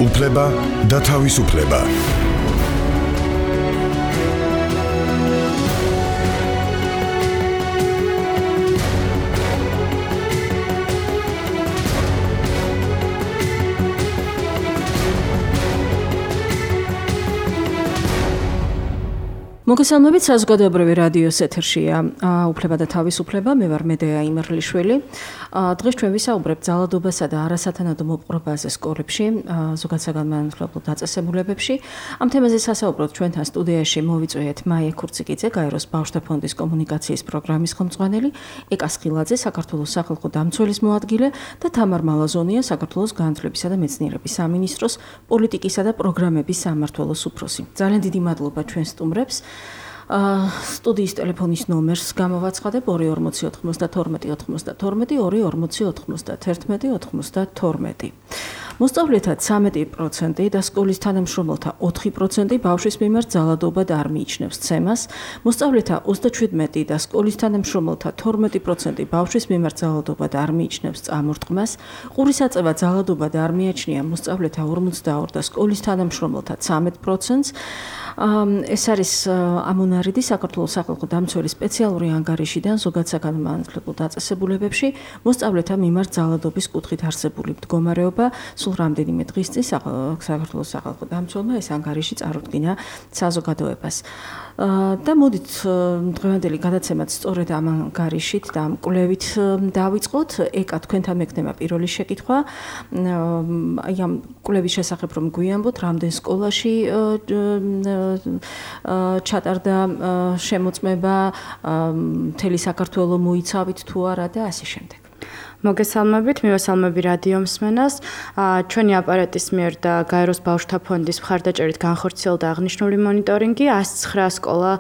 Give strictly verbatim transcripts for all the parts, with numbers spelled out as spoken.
უფლება და თავისუფლება. მოგესალმებით, საზოგადოებრივი რადიოს ეთერშია უფლება და თავისუფლება. მე ვარ მედეა იმერლიშვილი. დღეს ჩვენ ვისაუბრებთ ძალადობასა და არასათანადო მოპყრობაზე სკოლებში, ზოგადსაგანმანათლებლო დაწესებულებებში. ამ თემაზე სასაუბროთ ჩვენთან სტუდიაში მოვიწვიეთ მაია ქურციკიძე, გაეროს ბავშვთა ფონდის კომუნიკაციის პროგრამის ხელმძღვანელი, ეკა სხილაძე, საქართველოს სახალხო დამცველის მოადგილე და თამარ მალაზონია, საქართველოს განათლებისა და მეცნიერების სამინისტროს პოლიტიკისა და პროგრამების სამმართველოს უფროსი. ძალიან დიდი მადლობა ჩვენ სტუმრებს. სტუდიის ტელეფონის ნომერს გამოვაცხადებ ორი ორმოცი ოთხმოცდათორმეტი ოცდათორმეტი ორი ორმოცი ოთხმოცდათერთმეტი ოცდათორმეტი. მოსწავლეთა ცამეტი პროცენტი და სკოლის თანამშრომელთა ოთხი პროცენტი ბავშვის მიმართ ძალადობად არ მიიჩნევს ცემას. მოსწავლეთა ოცდაშვიდმეტი და სკოლის თანამშრომელთა თორმეტი პროცენტი ბავშვის მიმართ ძალადობად არ მიიჩნევს წამორტყმას. ყურის აწევა ძალადობად არ მიაჩნია მოსწავლეთა ორმოცდაორი და სკოლის თანამშრომელთა ცამეტ პროცენტს. ეს არის ამონარიდი საქართველოს სახალხო დამცველის სპეციალური ანგარიშიდან ზოგადსაგანმანათლებლო დაწესებულებებში მოსწავლეთა მიმართ ძალადობის კუთხით არსებული მდგომარეობა. სულ რამდენიმე დღის წინ საქართველოს სახალხო დამცველმა ეს ანგარიში წარუდგინა საზოგადოებას. და მოდით დღევანდელი გადაცემაც სწორედ ამ ანგარიშით და ამ კვლევით დავიწყოთ. ეკა თქვენთან მექნება პირველი შეკითხვა. აი ამ კვლევის შესახებ რომ გვიამბოთ, რამდენ სკოლაში ჩატარდა შემოწმება, მთელი საქართველო მოიცავით თუ არა და ასე შემდეგ. მოგესალმებით, მივესალმები რადიო მსმენელს. ჩვენი აპარატის მიერ და გაეროს ბავშვთა ფონდის მხარდაჭერით განხორციელდა აღნიშნული მონიტორინგი. ასი ცხრა სკოლა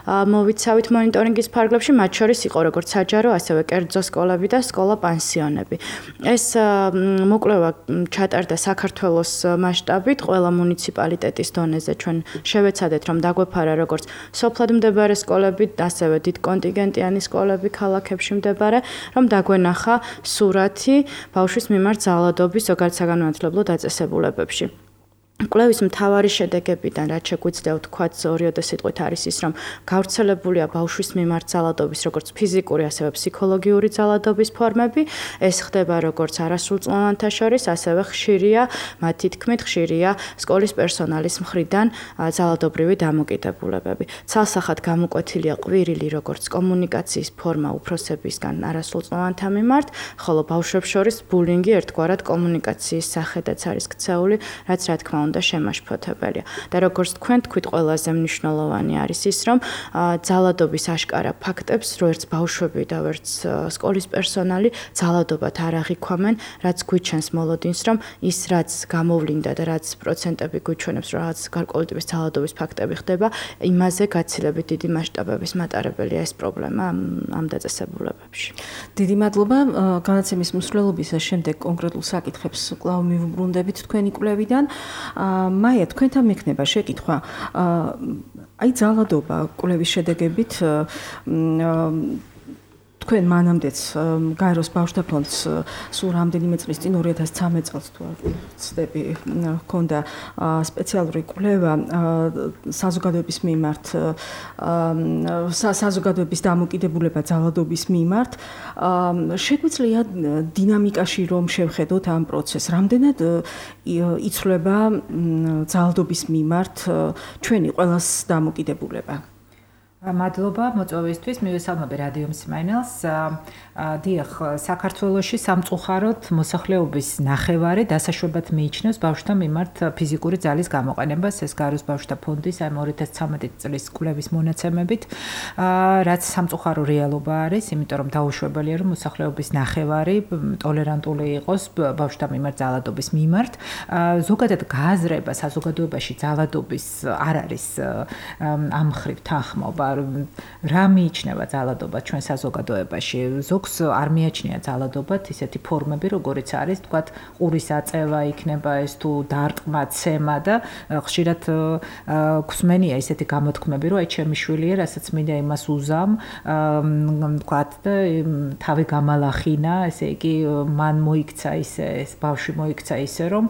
მოვიცავით მონიტორინგის ფარგლებში, მათ შორის იყო როგორც საჯარო, ასევე კერძო სკოლები და სკოლა პანსიონები. ეს მოკვლევა ჩატარდა საქართველოს მასშტაბით, ყველა მუნიციპალიტეტის დონეზე. ჩვენ შევეცადეთ, რომ დაგვეფარა როგორც სოფლად მდებარე სკოლები, ასევე დიდ კონტინგენტიანი სკოლები ქალაქებში მდებარე, რომ დაგვენახა სურათი ბავშვის მიმართ ძალადობის ზოგადსაგანმანათლებლო დაწესებულებებში. კვლევის მთავარი შედეგებიდან, რაც შეგვიძლია ვთქვათ, ორიოდე სიტყვით არის ის, რომ გავრცელებულია ბავშვის მიმართ ძალადობის როგორც ფიზიკური, ასევე ფსიქოლოგიური ძალადობის ფორმები. ეს ხდება როგორც არასრულწლოვანთა შორის, ასევე ხშირია, მათი თქმით, ხშირია სკოლის პერსონალის მხრიდან ძალადობრივი დამოკიდებულებები. ცალსახად გამოკვეთილია ყვირილი როგორც კომუნიკაციის ფორმა უფროსებისგან არასრულწლოვანთა მიმართ, ხოლო ბავშვებს შორის ბულინგი ერთგვარად კომუნიკაციის სახედაც არის ქცეული, რაც რა თქმა უნდა შემაშფოთებელია. და როგორც თქვენ თქვით, ყველაზე მნიშვნელოვანი არის ის, რომ ძალადობის აშკარა ფაქტებს, რო ერთს ბავშვები და ერთს სკოლის პერსონალი ძალადობად არ აღიქვამენ, რაც გვიჩენს მოლოდინს, რომ ის რაც გამოვლინდა და რაც პროცენტები გვიჩვენებს, რომ რაღაც გარკვეული ტიპის ძალადობის ფაქტები ხდება, იმაზე გაცილებით დიდი მასშტაბების მატარებელია ეს პრობლემა ამ დაწესებულებებში. დიდი მადლობა. განაცემის მსვლელობისას შემდეგ კონკრეტულ საკითხებს კვლავ მივუბრუნდებით თქვენი კვლევიდან. მაია, თქვენთან მექნება შეკითხვა. აი ძალადობა კვლევის შედეგებით თქვენ მანამდეც გაეროს ბავშვთა ფონდს სულ რამდენიმე წლის წინ ორი ათას ცხრამეტ წელს თუ არ ვცდები ჰქონდა სპეციალური კვლევა საზოგადოების მიმართ საზოგადოების დამოკიდებულება ძალადობის მიმართ. შეგვიძლია დინამიკაში რომ შევხედოთ ამ პროცესს, რამდენად იცვლება ძალადობის მიმართ ჩვენი ყველას დამოკიდებულება. მადლობა მოწვევისთვის, მივესალმები რადიო მსმენელს. დიახ, საქართველოში სამწუხაროდ მოსახლეობის ნახევარი დასაშვებად მიიჩნევს ბავშვთა მიმართ ფიზიკური ძალის გამოყენებას. ეს გაეროს ბავშვთა ფონდის აი ორი ათას ცხრამეტი წლის კვლევის მონაცემებით, რაც სამწუხარო რეალობა არის, იმიტომ რომ დაუშვებელია, რომ მოსახლეობის ნახევარი ტოლერანტული იყოს ბავშვთა მიმართ ძალადობის მიმართ. ზოგადად გააზრება საზოგადოებაში ძალადობის არ არის ამ მხრივ თანხმობა. რა მიიჩნევა ძალადობა ჩვენ საზოგადოებაში? ზოგს არ მიაჩნია ძალადობად ისეთი ფორმები, როგორიც არის, თქვათ, ყურის აწევა იქნება ეს თუ დარტყმა, ცემა და ხშირად გვსმენია ისეთი გამოთქმები, რომ აი ჩემი შვილია, რასაც მინდა იმას უზამ, თქვათ და თავი გამალახინა, ესე იგი მან მოიქცა ისე, ეს ბავშვი მოიქცა ისე, რომ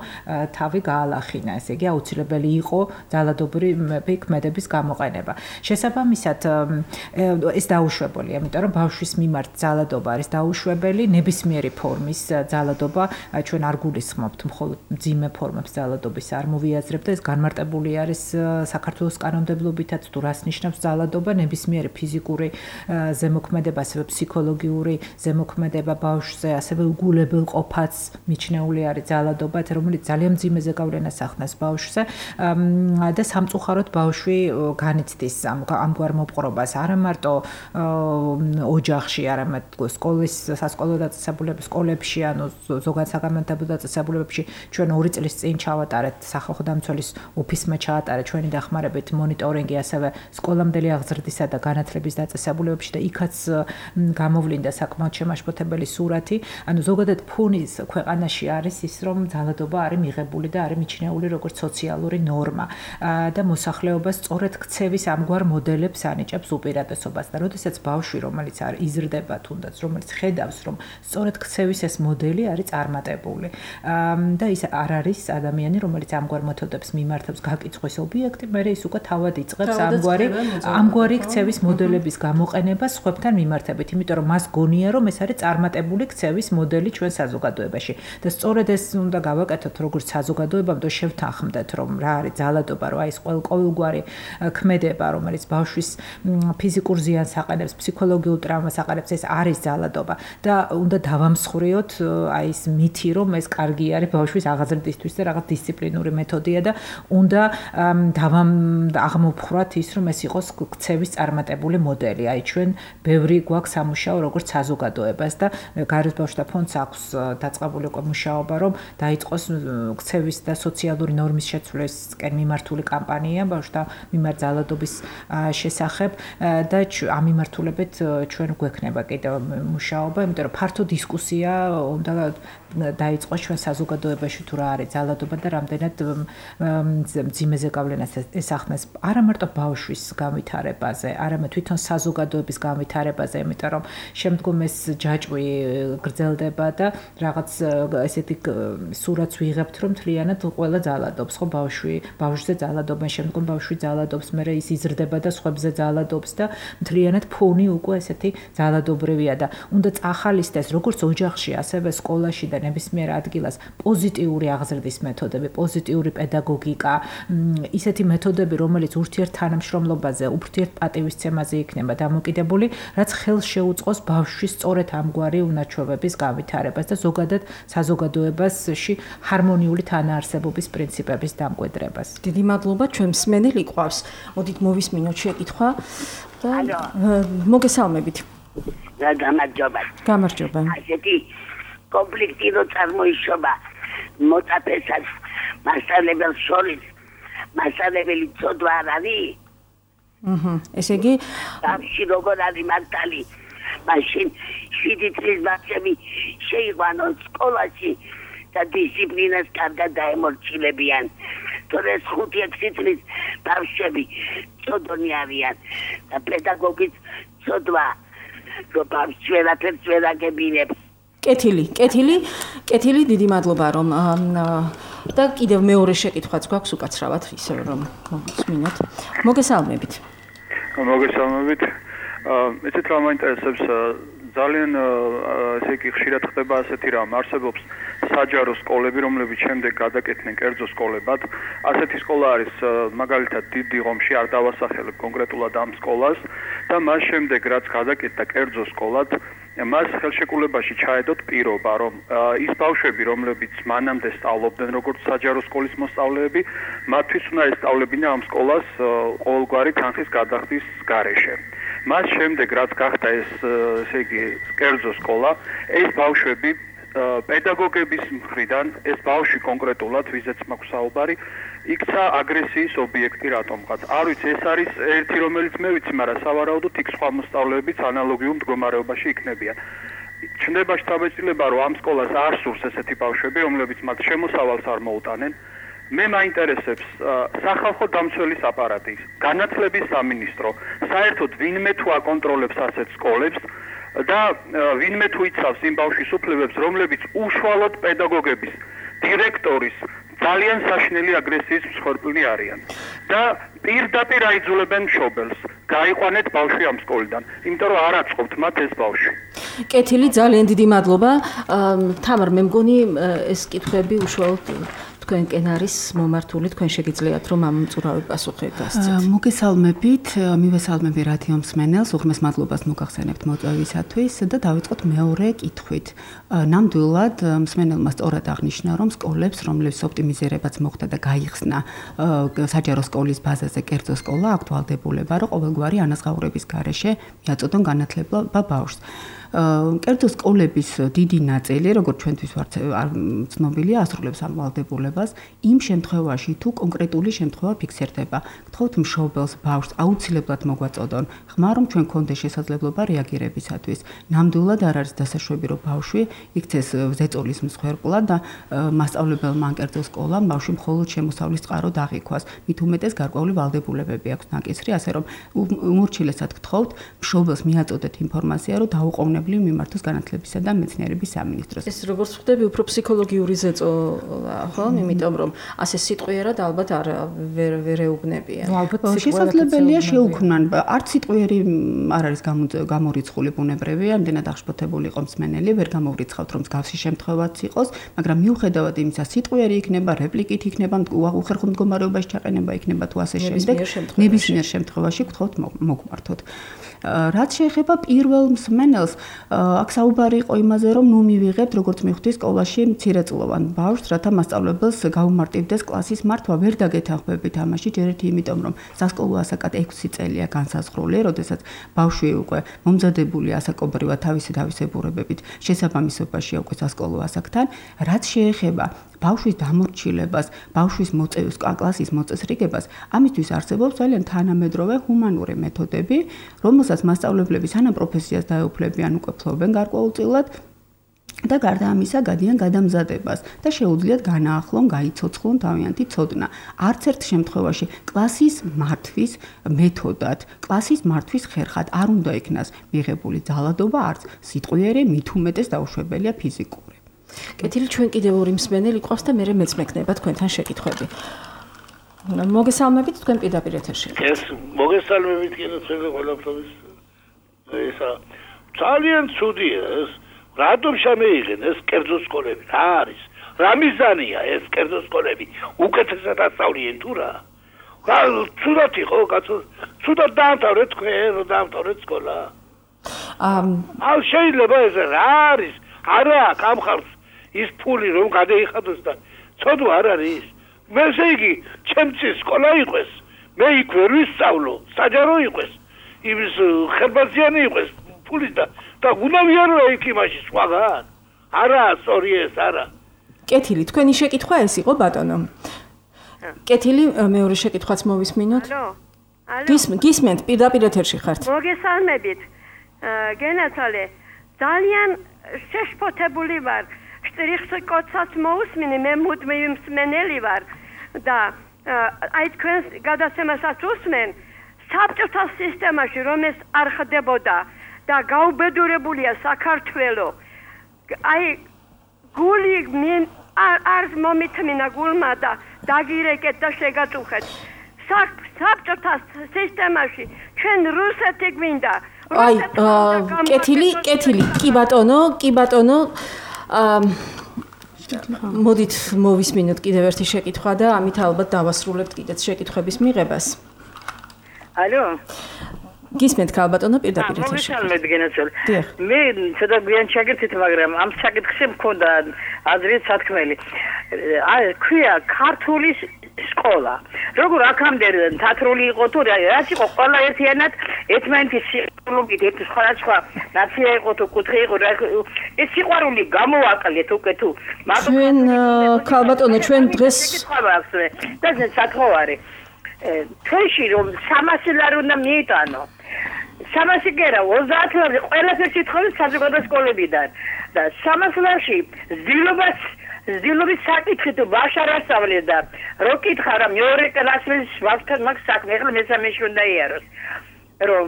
თავი გაალახინა, ესე იგი აუცილებელი იყო ძალადობრივი ქმედების გამოყენება. შესაბამისად ეს დაუშვებელია, იმიტომ რომ ბავშვის მიმართ ძალადობა არის დაუშვებელი, ნებისმიერი ფორმის ძალადობა ჩვენ არ გულისხმობთ, მხოლოდ მძიმე ფორმებს ძალადობის არ მოვიაზრებთ და ეს განმარტებული არის საქართველოს კანონმდებლობითაც თუ რას ნიშნავს ძალადობა, ნებისმიერი ფიზიკური ზემოქმედება, ასევე ფსიქოლოგიური ზემოქმედება ბავშვზე, ასევე უგულებელ ყოფაც მიჩნეული არის ძალადობა, რომელიც ძალიან მძიმე ზეგავლენას ახდენს ბავშვზე და სამწუხაროდ ბავშვი განიცდის ამგვარ მოპყრობას არა მარტო ოჯახში, არამედ სკოლის სასკოლო დაწესებულებებში, სკოლებში, ანუ ზოგადად საგანმანათლებლო დაწესებულებებში ჩვენ ორი წლის წინ ჩავატარეთ სახალხო დამცველის ოფისმა ჩაატარა ჩვენი დახმარებით მონიტორინგი, ასევე სკოლამდელი აღზრდისა და განათლების დაწესებულებებში და იქაც გამოვლინდა საკმაოდ შემაშფოთებელი სურათი. ანუ ზოგადად ფონის ქვეყანაში არის ის, რომ ძალადობა არის მიღებული და არის მიჩნეული როგორც სოციალური ნორმა და მოსახლეობა სწორედ ქცევის ამგვარ მოდელებს ანიჭებს უპირატესობას და როდესაც ბავშვი, რომელიც არ იზრდება თუნდაც, რომელიც ხედავს, რომ სწორედ ქცევის ეს მოდელი არის წარმატებული და ის არ არის ადამიანი, რომელიც ამგვარ მეთოდებს მიმართავს გაკიცხვის ობიექტი, მერე ის უკვე თავად იწყებს ამგვარი ამგვარი ქცევის მოდელების გამოყენებას სხვებთან მიმართებით, იმიტომ რომ მას გონია, რომ ეს არის წარმატებული ქცევის მოდელი ჩვენ საზოგადოებაში და სწორედ ეს უნდა გავაკეთოთ როგორც საზოგადოებამ და შევთანხმდეთ, რომ რა არის ძალადობა, რომ აი ეს ყოველგვარი ქმედება, რომელიც ბავშვის ფიზიკურ ზიანს აყენებს, ფსიქოლოგიურ ტრავმას აყენებს, ეს არის ძალადობა და უნდა დავამსხვრიოთ აი ეს მითი, რომ ეს კარგი არის ბავშვის აღზრდისთვის და რაღაც დისციპლინური მეთოდია და უნდა დავამ აღმოფხვრათ ის, რომ ეს იყოს ქცევის წარმატებული მოდელი. აი ჩვენ ბევრი გვაქვს სამუშაო როგორც საზოგადოებას და გაეროს ბავშვთა ფონდს აქვს დაწყებული უკვე მუშაობა, რომ დაიწყოს ქცევის და სოციალური ნორმის შეცვლისკენ მიმართული კამპანია ბავშვთა მიმართ ძალადობის შესახებ და ამ მიმართულებით ჩვენ გვექნება კიდევ მუშაობა, იმიტომ რომ ფართო დისკუსია უნდა დაიწყოს ჩვენ საზოგადოებაში თუ რა არის ძალადობა და რამდენად მძიმე ზეგავლენას ესახნეს არა მარტო ბავშვის განვითარებაზე, არამედ თვითონ საზოგადოების განვითარებაზე, იმიტომ რომ შემდგომ ეს ჯაჭვი გრძელდება და რაღაც ესეთი სურათს ვიღებთ, რომ მთლიანად ყველა ძალადობს, ხო ბავშვი, ბავშვზე ძალადობენ, შემდგომ ბავშვი ძალადობს, მერე ის იზრდება და სხვებზე ძალადობს და მთლიანად ფონი უკვე ესეთი ძალადობრივია და უნდა წახალისდეს როგორც ოჯახში, ასევე სკოლაში და ნებისმიერ ადგილას პოზიტიური აღზრდის მეთოდები, პოზიტიური პედაგოგიკა, ისეთი მეთოდები, რომელიც ურთიერთთანამშრომლობაზე, ურთიერთპატივისცემაზე იქნება დამოკიდებული, რაც ხელს შეუწყოს ბავშვის სწორედ ამგვარი უნაჩვევების განვითარებას და ზოგადად საზოგადოებაში ჰარმონიული თანაარსებობის პრინციპების დამკვიდრებას. დიდი მადლობა, ჩვენ მსმენელი ყავს. მოდით მოვისმინოთ შეკითხვა და მოგესალმებით. და გამარჯობა. გამარჯობა. ასეთი კონფლიქტი რო წარმოიშობა მოწაფესაც მასწავლებელს შორის, მასწავლებელი ცოდვა არ არის? აჰა, ესე იგი ბავშვი როგორ არის მართალი? მაშინ შვიდი წლის ბავშვები შეიყვანონ სკოლაში და დისციპლინას კარგად დაემორჩილებიან. თორეს ხუთი ექვსი წლის ბავშვები ცოდნი არიან და პედაგოგიც ცოდვა, რომ ბავშვს ვერაფერს ვერ აგებინებს. კეთილი, კეთილი, კეთილი, დიდი მადლობა რომ და კიდევ მეორე შეკითხვაც გვაქვს უკაცრავად, ისე რომ მოვისმინოთ. მოგესალმებით. მოგესალმებით. ეცეთ რა მაინტერესებს ძალიან ესე იგი ხშირად ხდება ასეთი რამ, არსებობს საჯარო სკოლები, რომლებიც შემდეგ გადაკეთდნენ კერძო სკოლებად. ასეთი სკოლა არის მაგალითად დიდი ღომში, არ დავასახელებ კონკრეტულად ამ სკოლას და მას შემდეგ რაც გადაკეთდა კერძო სკოლად, მას ხელშეკრულებაში ჩაედოთ პირობა, რომ ის ბავშვები, რომლებიც მანამდე სწავლობდნენ როგორც საჯარო სკოლის მოსწავლეები, მათთვის უნდა ესწავლებინა ამ სკოლას ყოველგვარი თანხის გადახდის გარეშე. მას შემდეგ რაც გახდა ეს, ესე იგი, კერძო სკოლა, ეს ბავშვები პედაგოგების მხრიდან ეს ბავშვი კონკრეტულად ვიზეც მაქვს საუბარი იქცა აგრესიის ობიექტი რატომღაც. არ ვიცი, ეს არის ერთი რომელიც მე ვიცი, მაგრამ სავარაუდოდ იქ სხვა მოსწავლეებიც ანალოგიურ მდგომარეობაში იქნებიან. ჩნდება შთაბეჭდილება, რომ ამ სკოლას არ სურს ესეთი ბავშვები, რომლებიც მათ შემოსავალს არ მოუტანენ. მე მაინტერესებს სახალხო დამცველის აპარატი, განათლების სამინისტრო, საერთოდ ვინმე თუ აკონტროლებს ასეთ სკოლებს და ვინმე თუ იცავს იმ ბავშვის უფლებებს, რომლებიც უშუალოდ პედაგოგების, დირექტორის ძალიან საშინელი აგრესიის მსხვერპლი არიან და პირდაპირ აიძულებენ მშობელს გაიყვანეთ ბავშვი ამ სკოლიდან, იმიტომ რომ არ აწყობთ მათ ეს ბავშვი. კეთილი, ძალიან დიდი მადლობა. თამარ, მე მგონი ეს კითხვები უშუალოდ თქვენკენ არის მომართული, თქვენ შეგიძლიათ რომ ამ მწურავი პასუხი გასცეთ. მოგესალმებით, მივესალმები რადიო მსმენელს, უღმეს მადლობას მოგახსენებთ მოწვევისათვის და დავიწყოთ მეორე კითხვით. ნამდვილად მსმენელმა სწორად აღნიშნა, რომ სკოლებს, რომლებიც ოპტიმიზირებაც მოხდა და გაიხსნა საჯარო სკოლის ბაზაზე კერძო სკოლა, აქტუალდებულება, რომ ყოველგვარი ანაზღაურების გარეშე მიაწოდონ განათლება ბავშვს. კერძო სკოლების დიდი ნაწილი, როგორც ჩვენთვის ვართ ცნობილია, ასრულებს ამ ვალდებულებას იმ შემთხვევაში, თუ კონკრეტული შემთხვევა ფიქსირდება. გთხოვთ მშობელს, ბავშვს აუცილებლად მოგვაწოდონ ხმა, რომ ჩვენ გქონდეს შესაძლებლობა რეაგირებისათვის. ნამდვილად არ არის დასაშვები, რომ ბავშვი იქცეს ზეწოლის მსხვერპლად და მასწავლებელმა ან კერძო სკოლამ ბავშვი მხოლოდ შემოსავლის წყარო დაღიქვას. მით უმეტეს გარკვეული ვალდებულებები აქვს ნაკისრი, ასე რომ უმორჩილესად გთხოვთ მშობელს მიაწოდეთ ინფორმაცია, რომ დაუყოვნებლივ მიმართოს განათლებისა და მეცნიერების სამინისტროს. ეს როგორც ხვდები, უფრო ფსიქოლოგიური ზეწოლა, ხო? იმიტომ რომ ასე სიტყვიერად ალბათ არ ვერ ვერ ეუბნებიან. შესაძლებელია შეუქმნან, არც სიტყვიერი არ არის გამორიცხული ბუნებრივია, ამდენად აღშფოთებული იყო მსმენელი, ვერ გამოვრიცხავთ რომ მსგავსი შემთხვევაც იყოს, მაგრამ მიუხედავად იმისა, სიტყვიერი იქნება, რეპლიკით იქნება, უახერხო მდგომარეობაში ჩაყენება იქნება თუ ასე შემდეგ, ნებისმიერ შემთხვევაში გთხოვთ მოგმართოთ. რაც შეეხება პირველ მსმენელს, აქ საუბარი იყო იმაზე, რომ ნუ მივიღებთ, როგორც მივხვდი, სკოლაში მცირეწლოვან ბავშვს, რათა მასწავლებელს გაუმარტივდეს კლასის მართვა, ვერ დაგეთანხმებით ამაში, ჯერ ერთი იმიტომ, რომ სასკოლო ასაკად ექვსი წელია განსაზღვრული, როდესაც ბავშვი უკვე მომზადებული ასაკობრივად თავისი თავისებურებებით შესაბამისობაშია უკვე სასკოლო ასაკთან, რაც შეეხება ბავშვის დამორჩილებას, ბავშვის მოწევის კლასის მოწესრიგებას, ამისთვის არსებობს ძალიან თანამედროვე ჰუმანური მეთოდები, რომელსაც მასწავლებლები სანამ პროფესიას დაეუფლებიან უკვე ფლობენ გარკვეულწილად და გარდა ამისა გადიან გადამზადებას და შეუძლიათ განაახლონ, გაიცოცხლონ თავიანთი ცოდნა. არც ერთ შემთხვევაში კლასის მართვის მეთოდად, კლასის მართვის ხერხად არ უნდა იქნას მიღებული ძალადობა, არც სიტყვიერი, მით უმეტეს დაუშვებელია ფიზიკური. კეთილი, ჩვენ კიდევ ორი მსმენელი ყავს და მე მეც მეკნება თქვენთან შეკითხვები. მოგესალმებით, თქვენ პირდაპირ ეთერში. ეს მოგესალმებით კიდევ თქვენ ყველაფრის. ესა ძალიან ცუდია ეს. რატომ შემეიღენ ეს კერძო სკოლები? რა არის? რა მიზანია ეს კერძო სკოლები? უკეთესად ასწავლიან თუ რა? რა ცუდად იყო, კაცო? ცუდად დაამთავრეთ თქვენ, რომ დაამთავრეთ სკოლა. ამ აუ შეიძლება ეს რა არის? არა, გამხარს ის ფული რომ გადაიხადოს და ცოდვა არ არის. მე ესე იგი, ჩემთვის სკოლა იყოს. მე იქ ვერ ვისწავლო, საჯარო იყოს. იმის ხერბაზიანი იყოს ფული და და უნდა ვიარო იქ იმაში სხვაგან. არა, სწორი ეს არა. კეთილი, თქვენი შეკითხვა ეს იყო ბატონო. კეთილი, მეორე შეკითხვაც მოვისმინოთ. ალო. ალო. გისმენთ, პირდაპირ ეთერში ხართ. მოგესალმებით. გენაცვალე, ძალიან შეშფოთებული ვარ. შტრიხს კოცაც მოусმინე, მე მუდმივ მსმენელი ვარ და აი თქვენ გადაცემასაც უსმენ საბჭოთა სისტემაში რომ ეს არ ხდებოდა და გაუბედურებულია საქართველო. აი გული მინ არ მომითმინა გულმა და დაგირეკეთ და შეგაწუხეთ. საბჭოთა სისტემაში ჩვენ რუსეთი გვინდა. აი, კეთილი, კეთილი, კი ბატონო, კი ბატონო. მოდით მოვისმინოთ კიდევ ერთი შეკითხვა და ამით ალბათ დავასრულებთ კიდეც შეკითხვების მიღებას. ალო. გისმენთ ქალბატონო პირდაპირ ეთერში. მოგესალმებით გენაცვალე. მე ცოტა გვიან ჩაგერთით, მაგრამ ამ საკითხში მქონდა აზრით სათქმელი. ქვია ქართული სკოლა. როგორ აქამდე თათრული იყო თუ რაც იყო ყველა ერთიანად ერთმანეთის სიყვარულით ერთ სხვადასხვა ნაცია იყო თუ კუთხე იყო ეს სიყვარული გამოაკლეთ უკვე თუ ჩვენ ქალბატონო ჩვენ დღეს და ეს საკხოვარი თეში რომ სამასი ლარი უნდა მიიტანო სამასი გერა ოცდაათ ლარი ყველაფერს ითხოვეს საზოგადო სკოლებიდან და სამასი ლარში ზდილობას ზდილობის საკითხი თუ ვაშარასწავლე და რო კითხა რა მეორე კლასის ვახთან მაგ საქმე ახლა მესამეში უნდა იაროს რომ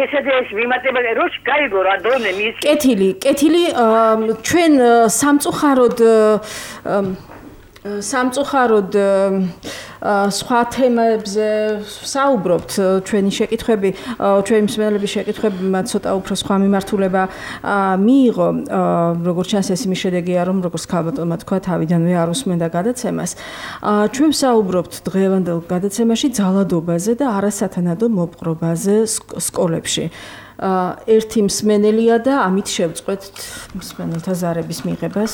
ესედეს მიმატება როშ გაიგო რა დონე მის კეთილი კეთილი ჩვენ სამწუხაროდ სამწუხაროდ სხვა თემებზე საუბრობთ ჩვენი შეკითხვები ჩვენი მსმენელების შეკითხვებმა ცოტა უფრო სხვა მიმართულება მიიღო როგორც ჩანს ეს იმის შედეგია რომ როგორც ქალბატონმა თქვა თავიდანვე არ უსმენდა გადაცემას ჩვენ საუბრობთ დღევანდელ გადაცემაში ძალადობაზე და არასათანადო მოპყრობაზე სკოლებში ერთი მსმენელია და ამით შევწყვეთ მსმენელთა ზარების მიღებას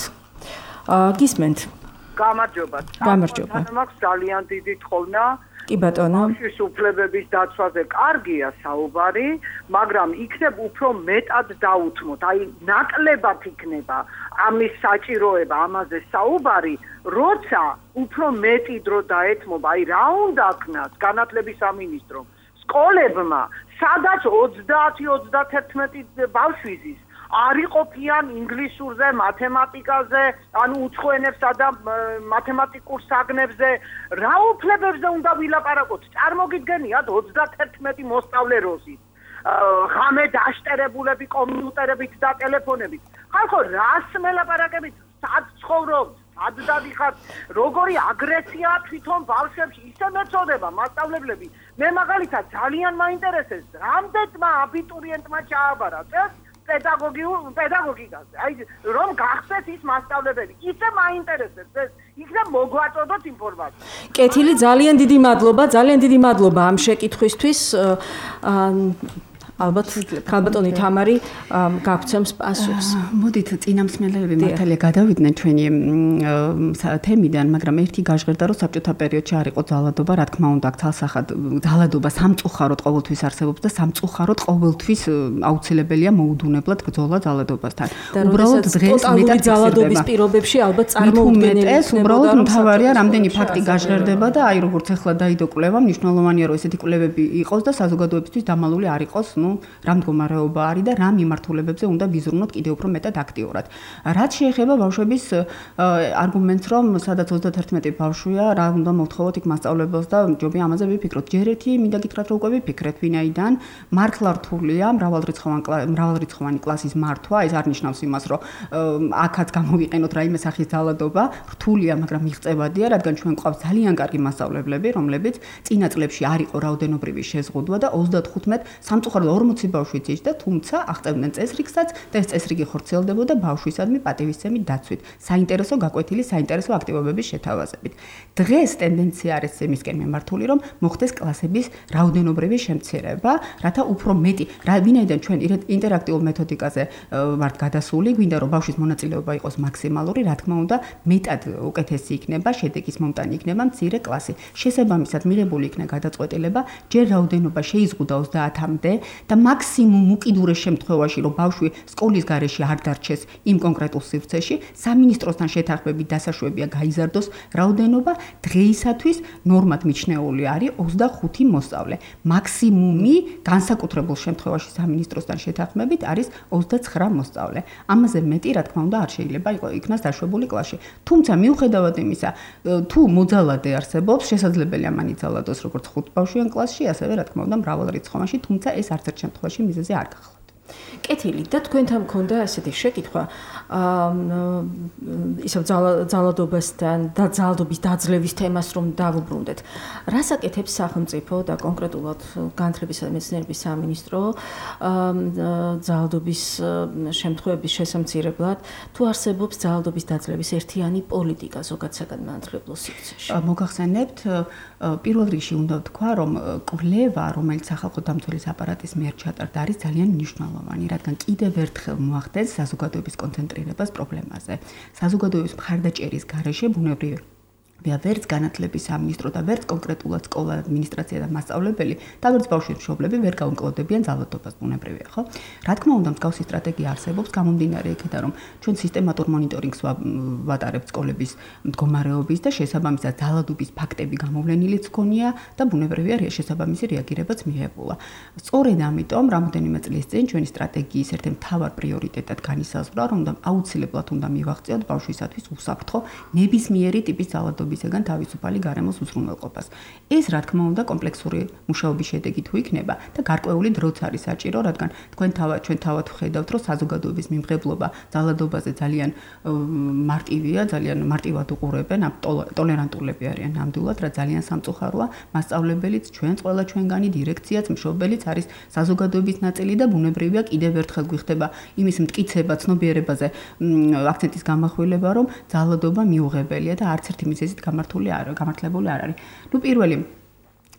გისმენთ გამარჯობა. გამარჯობა. მაქვს ძალიან დიდი თხოვნა. კი ბატონო. ბავშვის უფლებების დაცვაზე კარგია საუბარი, მაგრამ იქნებ უფრო მეტად დაუთმოთ. აი ნაკლებად იქნება ამის საჭიროება, ამაზე საუბარი, როცა უფრო მეტი დრო დაეთმობა. აი რა უნდა ქნას განათლების სამინისტრომ, სკოლებმა, სადაც ოცდაათი ოცდაათი ბავშვიზის არ იყოფიან ინგლისურზე, მათემატიკაზე, ანუ უცხო ენებსა და მათემატიკურ საგნებზე, რა უფლებებზე უნდა ვილაპარაკოთ? წარმოგიდგენიათ ოცდაათი მოსწავლე როზით. ღამე დაშტერებულები კომპიუტერებით და ტელეფონებით. ხალხო, რას მელაპარაკებით? სად ცხოვრობთ? სად დადიხართ? როგორი აგრესია თვითონ ბავშვებში ისე მეწოდება მასწავლებლები. მე მაგალითად ძალიან მაინტერესებს, რამდენმა აბიტურიენტმა ჩააბარა წელს პედაგოგიურ პედაგოგიკაზე. აი რომ გახსნეს ის მასწავლებელი. ისე მაინტერესებს ეს. იქნებ მოგვაწოდოთ ინფორმაცია. კეთილი, ძალიან დიდი მადლობა, ძალიან დიდი მადლობა ამ შეკითხვისთვის. ალბათ ქალბატონი თამარი გაგცემს პასუხს. მოდით წინამსმენელები მართალია გადავიდნენ ჩვენი თემიდან, მაგრამ ერთი გაჟღერდა რომ საბჭოთა პერიოდში არ იყო ძალადობა, რა თქმა უნდა, თალსახად ძალადობა სამწუხაროდ ყოველთვის არსებობს და სამწუხაროდ ყოველთვის აუცილებელია მოუდუნებლად ბრძოლა ძალადობასთან. უბრალოდ დღეს მეტად ძალადობის პირობებში ალბათ წარმოუდგენელი იქნებოდა. უბრალოდ მთავარია რამდენი ფაქტი გაჟღერდება და აი როგორც ახლა დაიდო კვლევა, მნიშვნელოვანია რომ ესეთი კვლევები იყოს და საზოგადოებისთვის დამალული არ იყოს. ну რა მდგომარეობა არის და რა მიმართულებებზე უნდა ვიზრუნოთ კიდევ უფრო მეტად აქტიურად. რაც შეეხება ბავშვების არგუმენტს, რომ სადაც ოცდაათი ბავშვია, რა უნდა მოვთხოვოთ იქ მასწავლებელს და ჯობია ამაზე ვიფიქროთ. ჯერ ერთი მინდა გითხრათ რომ უკვე ვიფიქრეთ, ვინაიდან მართლა რთულია მრავალრიცხოვანი მრავალრიცხოვანი კლასის მართვა, ეს არ ნიშნავს იმას, რომ აქაც გამოვიყენოთ რაიმე სახის ძალადობა, რთულია, მაგრამ მიღწევადია, რადგან ჩვენ გვყავს ძალიან კარგი მასწავლებლები, რომლებიც წინა წლებში არ იყო რაოდენობრივი შეზღუდვა და ოცდათხუთმეტ სამწუხაროდ ორმოცი ბავშვი ძიჭდა, თუმცა აღწევდნენ წესრიგსაც და ეს წესრიგი ხორციელდებოდა ბავშვისადმი პატივისცემი დაცვით, საინტერესო გაკვეთილი, საინტერესო აქტივობების შეთავაზებით. დღეს ტენდენცია არის იმისკენ მიმართული, რომ მოხდეს კლასების რაოდენობრივი შემცირება, რათა უფრო მეტი, ვინაიდან ჩვენ ინტერაქტიულ მეთოდიკაზე ვართ გადასული, გვინდა რომ ბავშვის მონაწილეობა იყოს მაქსიმალური, რა თქმა უნდა, მეტად უკეთესი იქნება, შედეგის მომტანი იქნება მცირე კლასი. შესაბამისად მიღებული იქნება გადაწყვეტილება, ჯერ რაოდენობა შეიზღუდა ოცდაათამდე და მაქსიმუმ უკიდურეს შემთხვევაში, რომ ბავშვი სკოლის გარეშე არ დარჩეს იმ კონკრეტულ სივრცეში, სამინისტროსთან შეთანხმებით დასაშვებია გაიზარდოს რაოდენობა, დღეისათვის ნორმად მიჩნეული არის ოცდახუთი მოსწავლე. მაქსიმუმი განსაკუთრებულ შემთხვევაში სამინისტროსთან შეთანხმებით არის ოცდაცხრა მოსწავლე. ამაზე მეტი, რა თქმა უნდა, არ შეიძლება იქნას დაშვებული კლასში. თუმცა მიუხედავად იმისა, თუ მოძალადე არსებობს, შესაძლებელია მან იძალადოს როგორც ხუთბავშვიან კლასში, ასევე რა თქმა უნდა, მრავალრიცხოვანში, თუმცა ეს არც ერთ შემთხვევაში მიზეზი არ გახლავთ. კეთილი და თქვენთან მქონდა ესეთი შეკითხვა ისევ ძალადობასთან და ძალადობის დაძლევის თემას რომ დავუბრუნდეთ. რას აკეთებს სახელმწიფო და კონკრეტულად განათლებისა და მეცნიერების სამინისტრო ძალადობის შემთხვევების შესამცირებლად, თუ არსებობს ძალადობის დაძლევის ერთიანი პოლიტიკა ზოგად საგანმანათლებლო სივრცეში? მოგახსენებთ, პირველ რიგში უნდა ვთქვა, რომ კვლევა, რომელიც სახალხო დამცველის აპარატის მიერ ჩატარდა, არის ძალიან მნიშვნელოვანი. მნიშვნელოვანი, რადგან კიდევ ერთხელ მოახდენს საზოგადოების კონცენტრირებას პრობლემაზე. საზოგადოების მხარდაჭერის გარეშე ბუნებრივია ვია ვერც განათლების სამინისტრო და ვერც კონკრეტულად სკოლა ადმინისტრაცია და მასწავლებელი და ვერც ბავშვების მშობლები ვერ გაუმკლავდებიან ძალადობას ბუნებრივია, ხო? რა თქმა უნდა, მსგავსი სტრატეგია არსებობს გამომდინარე იქიდან, რომ ჩვენ სისტემატურ მონიტორინგს ვატარებთ სკოლების მდგომარეობის და შესაბამისად ძალადობის ფაქტები გამოვლენილიც გქონია და ბუნებრივია შესაბამისი რეაგირებაც მიიღებულა. სწორედ ამიტომ რამოდენიმე წლის წინ ჩვენი სტრატეგიის ერთ-ერთ მთავარ პრიორიტეტად განისაზღვრა, რომ აუცილებლად უნდა მივაღწიოთ ბავშვისათვის უსაფრთხო ნებისმიერი ტიპის ძალადობის ისეგან თავისუფალი გარემოს უზრუნველყოფას. ეს რა თქმა უნდა კომპლექსური მუშაობის შედეგი თუ იქნება და გარკვეული დროც არის საჭირო, რადგან თქვენ თავად ჩვენ თავად ვხედავთ, რომ საზოგადოების მიმღებლობა ძალადობაზე ძალიან მარტივია, ძალიან მარტივად უყურებენ, ტოლერანტულები არიან ნამდვილად, რა ძალიან სამწუხაროა, მასწავლებელიც, ჩვენც ყველა ჩვენგანი დირექციაც, მშობელიც არის საზოგადოების ნაწილი და ბუნებრივია კიდევ ერთხელ გვიხდება იმის მტკიცება, ცნობიერებაზე აქცენტის გამახვილება, რომ ძალადობა მიუღებელია და არც ერთი მიზეზით გამართული არ გამართლებული არ არის. ნუ პირველი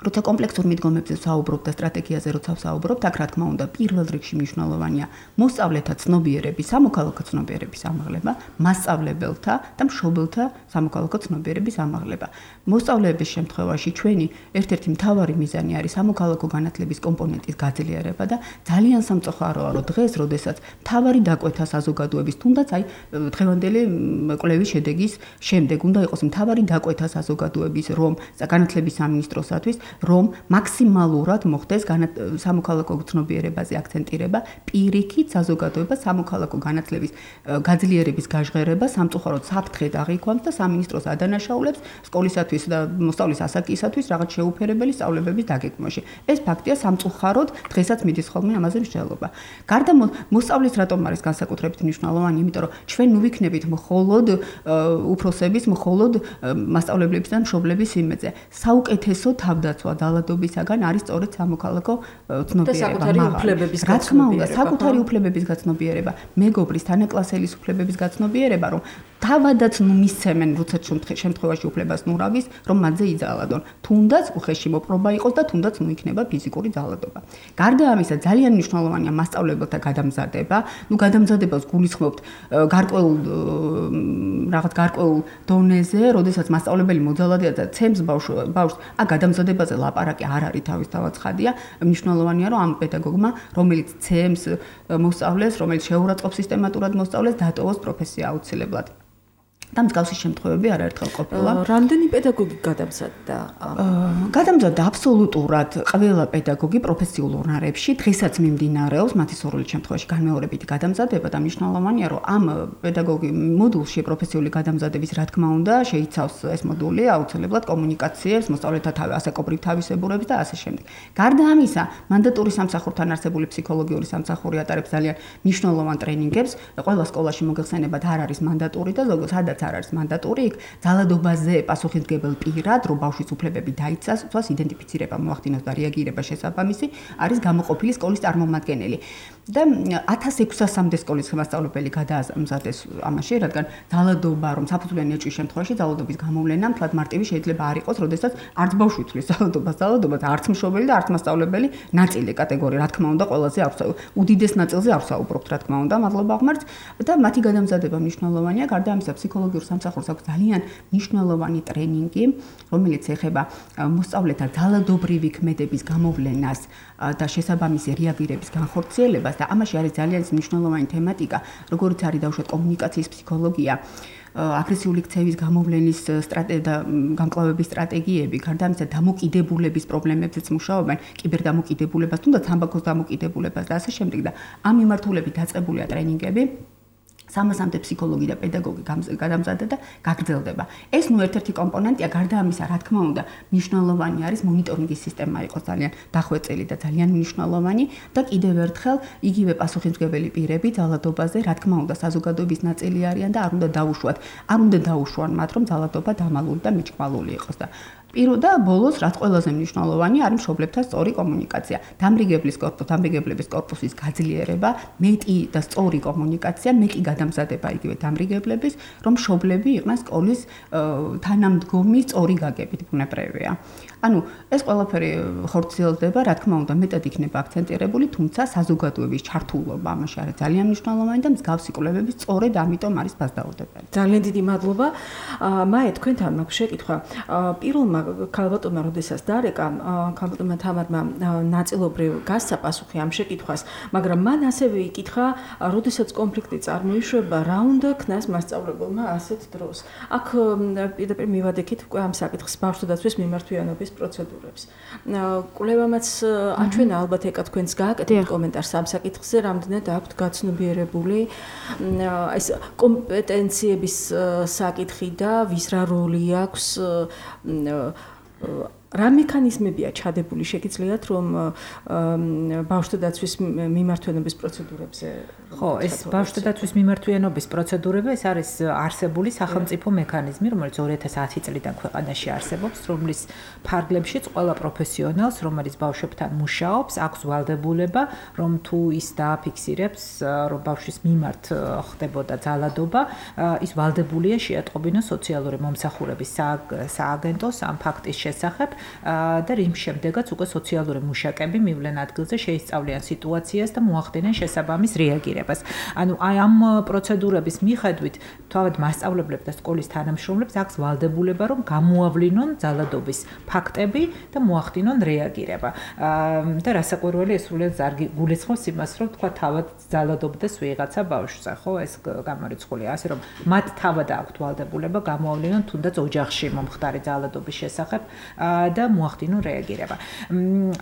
როცა კომპლექსურ მიდგომებზე ვსაუბრობ და სტრატეგიაზე როცა ვსაუბრობ, აქ რა თქმა უნდა პირველ რიგში მნიშვნელოვანია მოსწავლეთა ცნობიერების, სამოქალაქო ცნობიერების ამაღლება, მასწავლებელთა და მშობელთა სამოქალაქო ცნობიერების ამაღლება. მოსწავლეების შემთხვევაში ჩვენი ერთ-ერთი მთავარი მიზანი არის სამოქალაქო განათლების კომპონენტის გაძლიერება და ძალიან სამწუხაროა, რომ დღეს, როდესაც მთავარი დაკვეთა საზოგადოების, თუნდაც აი დღევანდელი კვლევის შედეგის შემდეგ უნდა იყოს მთავარი დაკვეთა საზოგადოების, რომ განათლების სამინისტროსათვის რომ მაქსიმალურად მოხდეს სამოქალაქო ცნობიერებაზე აქცენტირება, პირიქით საზოგადოება სამოქალაქო განათლების გაძლიერების გაჟღერება სამწუხაროდ საფრთხედ აღიქვამს და სამინისტროს ადანაშაულებს სკოლისათვის და მოსწავლის ასაკისათვის რაღაც შეუფერებელი სწავლებების დაგეგმვაში. ეს ფაქტია სამწუხაროდ, დღესაც მიდის ხოლმე ამაზე მსჯელობა. გარდა მოსწავლის რატომ არის განსაკუთრებით მნიშვნელოვანი, იმიტომ რომ ჩვენ ნუ ვიქნებით მხოლოდ უფროსების, მხოლოდ მასწავლებლების და მშობლების იმედზე. საუკეთესო თავდაცვა ძალადობისაგან არის სწორედ სამოქალაქო ცნობიერება. საკუთარი უფლებების რა თქმა უნდა, საკუთარი უფლებების გაცნობიერება, მეგობრის, თანაკლასელის უფლებების გაცნობიერება, რომ თავადაც ნუ მისცემენ როცა შემთხვევაში უფლებას ნურავის, რომ მათზე იძალადონ. თუნდაც უხეში მოპყრობა იყოს და თუნდაც ნუ იქნება ფიზიკური ძალადობა. გარდა ამისა, ძალიან მნიშვნელოვანია მასწავლებელთა გადამზადება. ნუ გადამზადებას გულისხმობთ გარკვეულ რაღაც გარკვეულ დონეზე, როდესაც მასწავლებელი მოძალადია და ცემს ბავშვს, ა გადამზადებაზე ლაპარაკი არ არის თავისთავად ცხადია. მნიშვნელოვანია, რომ ამ პედაგოგმა, რომელიც ცემს მოსწავლეს, რომელიც შეურაცხყოფს სისტემატურად მოსწავლეს, დატოვოს პროფესია აუცილებლად. და მსგავსი შემთხვევები არაერთხელ ყოფილა. რამდენი პედაგოგი გადამზადდა? გადამზადდა აბსოლუტურად ყველა პედაგოგი პროფესიულ უნარებში, დღესაც მიმდინარეობს მათი სურვილის შემთხვევაში განმეორებითი გადამზადება და მნიშვნელოვანია, რომ ამ პედაგოგი მოდულში პროფესიული გადამზადების რა თქმა უნდა შეიცავს ეს მოდული აუცილებლად კომუნიკაციებს, მოსწავლეთა ასაკობრივ თავისებურებას და ასე შემდეგ. გარდა ამისა, მანდატური სამსახურთან არსებული ფსიქოლოგიური სამსახური ატარებს ძალიან მნიშვნელოვან ტრენინგებს. ყველა სკოლაში მოგეხსენებათ არ არის მანდატური და ზოგადად სადაც არ არის მანდატური, იქ ძალადობაზე პასუხისმგებელ პირად, რომ ბავშვის უფლებები დაიცვას, იდენტიფიცირება, მოახდინოს და რეაგირება შესაბამისი, არის გამოყოფილი სკოლის წარმომადგენელი. და ათას ექვსასამდე სკოლის მასწავლებელი გადაამზადეს ამაში, რადგან ძალადობა, რომ საფუძვლიანი ეჭვის შემთხვევაში ძალადობის გამოვლენა მთლად მარტივი შეიძლება არ იყოს, როდესაც არც ბავშვი თვლის ძალადობას, ძალადობას, არც მშობელი და არც მასწავლებელი ნაწილი კატეგორია, რა თქმა უნდა, ყველაზე არ უდიდეს ნაწილზე არ ვსაუბრობთ, რა თქმა უნდა, მადლობა ღმერთს და მათი გადამზადება მნიშვნელოვანია, გარდა ამისა ფსიქოლოგიურ სამსახურს აქვს ძალიან მნიშვნელოვანი ტრენინგი, რომელიც ეხება მოსწავლეთა ძალადობრივი ქმედების გამოვლენას და შესაბამისი რეაგირების განხორციელებას და ამაში არის ძალიან მნიშვნელოვანი თემატიკა, როგორც არის დაუშვათ კომუნიკაციის ფსიქოლოგია, აგრესიული ქცევის გამოვლენის სტრატეგია, გამკლავების სტრატეგიები, გარდა ამისა დამოკიდებულების პრობლემებზეც მუშაობენ, კიბერდამოკიდებულებას, თუნდაც თამბაქოს დამოკიდებულებას და ასე შემდეგ და ამ მიმართულებით დაწყებულია ტრენინგები. სამასამდე ფსიქოლოგი და პედაგოგი გადამზადდა და გაგრძელდება. ეს ნუ ერთ-ერთი კომპონენტია, გარდა ამისა, რა თქმა უნდა, მნიშვნელოვანი არის მონიტორინგის სისტემა იყოს ძალიან დახვეწილი და ძალიან მნიშვნელოვანი და კიდევ ერთხელ იგივე პასუხისმგებელი პირები ძალადობაზე, რა თქმა უნდა, საზოგადოების ნაწილი არიან და არ უნდა დაუშვათ, არ უნდა დაუშვან მათ, რომ ძალადობა დამალული და მიჭკვალული იყოს და პირველ და ბოლოს, რაც ყველაზე მნიშვნელოვანი არის მშობლებთან სწორი კომუნიკაცია. დამრიგებლის კორპუსი, დამრიგებლების კორპუსის გაძლიერება, მეტი და სწორი კომუნიკაცია, მეტი გადამზადება იგივე დამრიგებლების, რომ მშობლები იყვნენ სკოლის თანამდგომი სწორი გაგებით ბუნებრივია. ანუ ეს ყველაფერი ხორციელდება, რა თქმა უნდა, მეტად იქნება აქცენტირებული, თუმცა საზოგადოების ჩართულობა ამაში არის ძალიან მნიშვნელოვანი და მსგავსი კვლევები სწორედ ამიტომ არის ფასდაურდებელი. ძალიან დიდი მადლობა. მაე თქვენთან მაქვს შეკითხვა. პირველმა ქალბატონმა როდესაც დარეკა, ქალბატონმა თამარმა ნაწილობრივ გასცა პასუხი ამ შეკითხვას, მაგრამ მან ასევე იკითხა, როდესაც კონფლიქტი წარმოიშვება, რა უნდა ქნას მასწავლებელმა ასეთ დროს. აქ პირდაპირ მივადექით უკვე ამ საკითხს ბავშვთა დაცვის მიმართვიანობის პროცედურებს. კვლევამაც აჩვენა ალბათ ეკა თქვენს გააკეთეთ კომენტარს ამ საკითხზე, რამდენად აქვთ გაცნობიერებული ეს კომპეტენციების საკითხი და ვის რა როლი აქვს რა მექანიზმებია ჩადებული შეგიძლიათ რომ ბავშვთა დაცვის მიმართვიანობის პროცედურებზე ხო ეს ბავშვთა დაცვის მიმართვიანობის პროცედურები ეს არის არსებული სახელმწიფო მექანიზმი რომელიც ორი ათას ათი წლიდან ქვეყანაში არსებობს რომლის ფარგლებშიც ყველა პროფესიონალს რომელიც ბავშვებთან მუშაობს აქვს ვალდებულება რომ თუ ის დააფიქსირებს რომ ბავშვის მიმართ ხდებოდა ძალადობა ის ვალდებულია შეატყობინოს სოციალური მომსახურების სააგენტოს ამ ფაქტის შესახებ და რიმ შემდეგაც უკვე სოციალური მუშაკები მივლენ ადგილზე შეისწავლიან სიტუაციას და მოახდინენ შესაბამის რეაგირებას. ანუ აი ამ პროცედურების მიხედვით თავად მასწავლებლებს და სკოლის თანამშრომლებს აქვს ვალდებულება რომ გამოავლინონ ძალადობის ფაქტები და მოახდინონ რეაგირება. და რასაკვირველი ეს სრულიად ზარგი გულისხმობს იმას რომ თქვა თავად ძალადობდეს ვიღაცა ბავშვზე, ხო ეს გამორიცხულია ასე რომ მათ თავად აქვთ ვალდებულება გამოავლინონ თუნდაც ოჯახში მომხდარი ძალადობის შესახებ და მოახდინონ რეაგირება.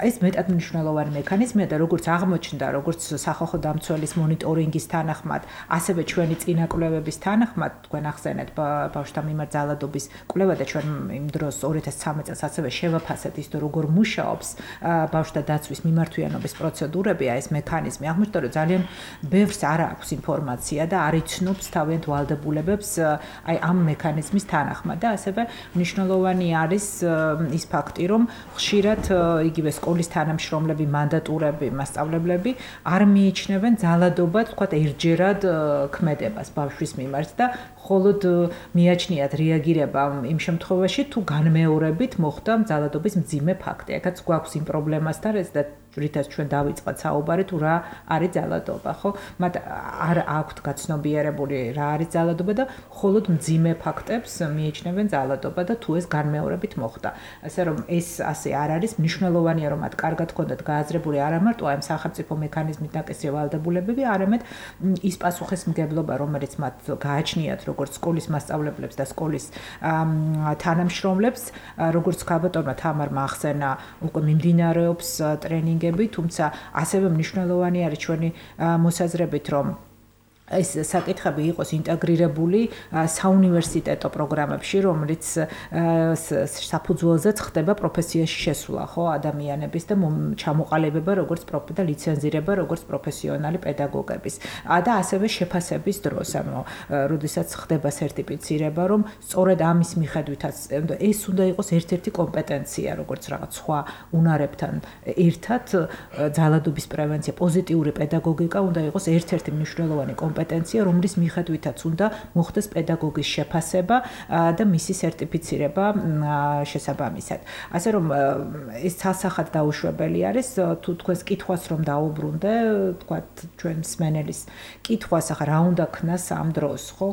ეს მეტად მნიშვნელოვანი მექანიზმია და როგორც აღმოჩნდა, როგორც სახალხო დამცველის მონიტორინგის თანახმად, ასევე ჩვენი წინა კვლევების თანახმად, თქვენ ახსენეთ ბავშვთა მიმართ ძალადობის კვლევა და ჩვენ იმ დროს ორი ათას ცხრამეტ წელს ასევე შევაფასეთ ის როგორ მუშაობს ბავშვთა დაცვის მიმართვიანობის პროცედურები, ეს მექანიზმი. აღმოჩნდა, რომ ძალიან ბევრს არ აქვს ინფორმაცია და არ იცნობს თავიანთ ვალდებულებებს აი ამ მექანიზმის თანახმად და ასევე მნიშვნელოვანი არის ის ფაქტი, რომ ხშირად იგივე სკოლის თანამშრომლები, მანდატურები, მასწავლებლები არ მიიჩნევენ ძალადობა, თქვათ, ერთჯერად ქმედებას ბავშვის მიმართ და მხოლოდ მიაჩნიათ რეაგირება იმ შემთხვევაში, თუ განმეორებით მოხდა ძალადობის მძიმე ფაქტი. აქაც გვაქვს იმ პრობლემასთან ეს და რითაც ჩვენ დავიწყოთ საუბარი თუ რა არის ძალადობა, ხო? მათ არ აქვთ გაცნობიერებული რა არის ძალადობა და მხოლოდ მძიმე ფაქტებს მიიჩნევენ ძალადობა და თუ ეს განმეორებით მოხდა. ასე რომ ეს ასე არ არის, მნიშვნელოვანია რომ მათ კარგად ჰქონდათ გააზრებული არა მარტო ამ სახელმწიფო მექანიზმით ნაკისრი ვალდებულებები, არამედ ის პასუხისმგებლობა, რომელიც მათ გააჩნიათ როგორც სკოლის მასწავლებლებს და სკოლის თანამშრომლებს, როგორც ქალბატონმა თამარმა ახსენა, უკვე მიმდინარეობს ტრენინგები, თუმცა ასევე მნიშვნელოვანი არის ჩვენი მოსაზრებით, რომ ეს საკითხები იყოს ინტეგრირებული საუნივერსიტეტო პროგრამებში, რომელიც საფუძველზეც ხდება პროფესიაში შესვლა, ხო, ადამიანების და ჩამოყალიბება როგორც და ლიცენზირება როგორც პროფესიონალი პედაგოგების. და ასევე შეფასების დროს, ანუ როდესაც ხდება სერტიფიცირება, რომ სწორედ ამის მიხედვითაც ეს უნდა იყოს ერთ-ერთი კომპეტენცია, როგორც რაღაც სხვა უნარებთან ერთად ძალადობის პრევენცია, პოზიტიური პედაგოგიკა უნდა იყოს ერთ-ერთი მნიშვნელოვანი კომპეტენცია კომპეტენცია, რომლის მიხედვითაც უნდა მოხდეს პედაგოგის შეფასება და მისი სერტიფიცირება შესაბამისად. ასე რომ ეს ცალსახად დაუშვებელი არის, თუ თქვენს კითხვას რომ დაუბრუნდე, თქვათ ჩვენ მსმენელის კითხვას, ახლა რა უნდა ქნას ამ დროს, ხო?